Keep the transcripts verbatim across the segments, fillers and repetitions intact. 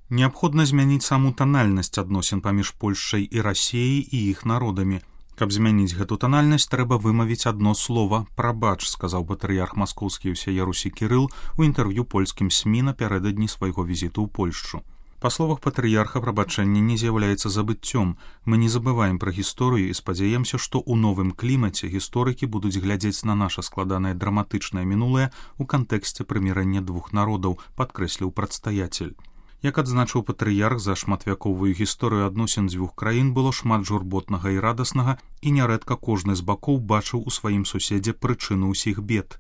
Неабходна змяніць саму танальнасць адносін паміж Польшчай і Расіяй і іх народамі. Каб змяніць гэту танальнасць, трэба вымавіць адно слова «прабач», сказаў патрыярх маскоўскі ўсяе Русі Кірыл у інтэрв'ю польскім СМІ напярэдадні свайго візіту ў Польшчу. Па словах патрыярха, прабачэнне не з'яўляецца забыццём. Мы не забываем пра гісторыю і спадзяемся, што ў новым клімаце гісторыкі будуць глядзець на наша складанае драматычнае мінулае ў кантэксце прымірэння двух народаў, падкрэсліў прадстаяцель. Як адзначыў патрыярх, за шматвяковую гісторыю адносін дзвюх краін было шмат журботнага і радаснага, і нярэдка кожны з бакоў бачыў у сваім суседзе прычыну ўсіх бед.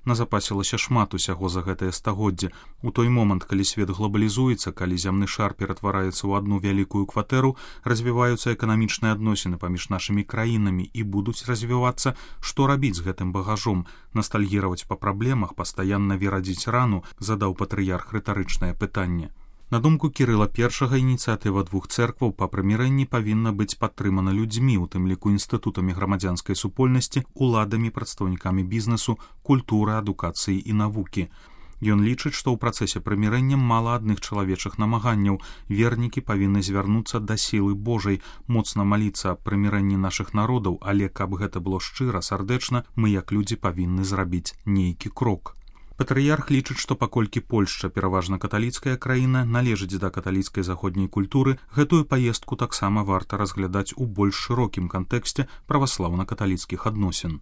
Назапасілася шмат усяго за гэтае стагоддзе. У той момант, калі свет глобалізуецца, калі зямны шар ператвараецца ў адну вялікую кватэру, развіваюцца эканамічныя адносіны паміж нашымі краінамі і будуць развівацца, што рабіць з гэтым багажом, настальгіраваць па праблемах, пастаянна верадзіць рану, задаў патрыярх рытарычнае пытанне. На думку Кірыла першага, ініцыятыва двух цэркваў па прымірэнні павінна быць падтрымана людзьмі, у тым ліку інстытутамі грамадзянскай супольнасці, уладамі, прадстаўнікамі бізнесу, культуры, адукацыі і навукі. Ён лічыць, што ў працэсе прымірэння мала адных чалавечых намаганняў. Вернікі павінны звярнуцца да сілы Божай, моцна маліцца аб прымірэнні нашых народаў, але каб гэта было шчыра, сардэчна, мы як людзі павінны зрабіць нейкі крок. Патрыярх лічыць, што паколькі Польшча пераважна каталіцкая краіна, належыць да каталіцкай заходняй культуры, гэтую паездку таксама варта разглядаць у больш шырокім кантэксце праваслаўна-каталіцкіх адносін.